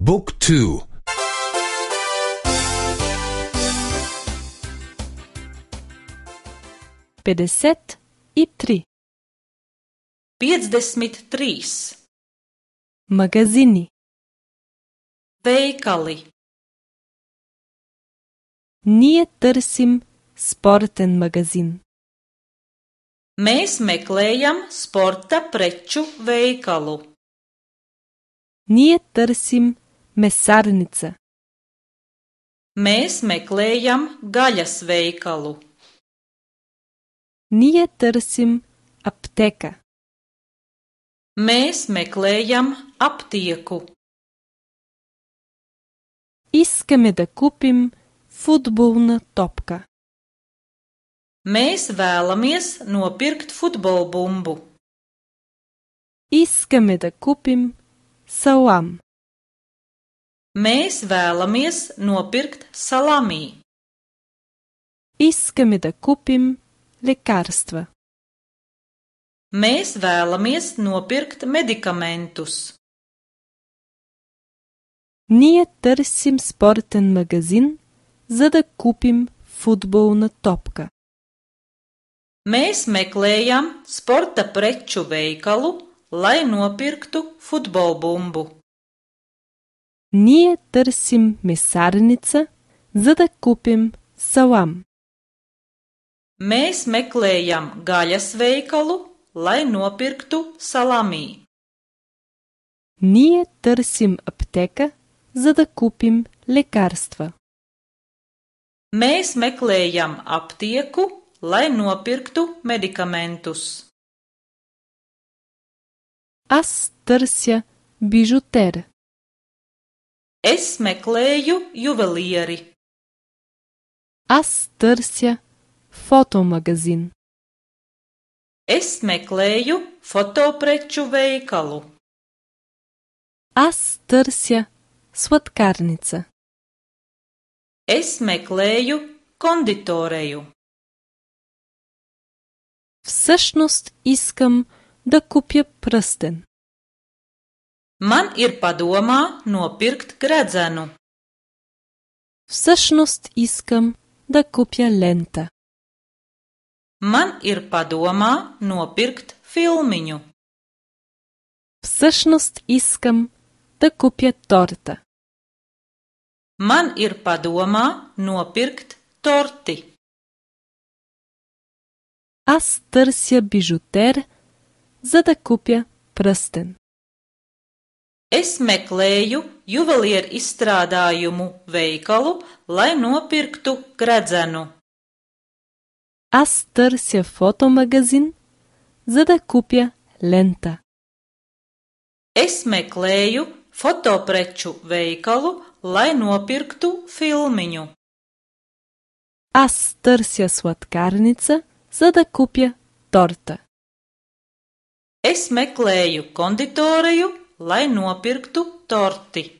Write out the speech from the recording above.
บุ๊กทู53 Magazini veikali. Ние търсим спортен магазин. Mēs meklējam sporta preču veikalu. Ние търсим месарница. Mēs meklējam gaļas veikalu. Ние търсим аптека. Mēs meklējam aptieku. Искаме да купим футболна топка. Mēs vēlamies nopirkt futbolbumbu. Искаме да купим салам. Mēs vēlamies nopirkt salami. Искаме да купим лекарства. Mēs vēlamies nopirkt medikamentus. Ние търсим спортен магазин, за да купим футболна топка. Mēs meklējam sporta preču veikalu, lai nopirktu futbolbumbu. Ние търсим месарница, за да купим салам. Mēs meklējam gaļas veikalu, lai nopirktu salami. Ние търсим аптека, за да купим лекарства. Mēs meklējam aptieku, lai nopirktu medikamentus. Аз търся бижутер. Es meklēju juvelieri. Аз търся фотомагазин. Es meklēju fotopreču veikalu. Аз търся сладкарница. Es meklēju konditoreju. Всъщност искам да купя пръстен. Man ir padomā nopirkt gredzenu. Всъщност искам да купя лента. Man ir padomā nopirkt filmiņu. Всъщност искам да купя торта. Man ir padomā nopirkt torti. Аз търся бижутер, за да купя пръстен. Es meklēju juvelieru izstrādājumu veikalu, lai nopirktu gredzenu. Аз търся фотомагазин, за да купя лента. Es meklēju fotopreču veikalu, lai nopirktu filmiņu. Аз търся сладкарница, за да купя торта. Es meklēju konditoreju, lai nopirktu torti.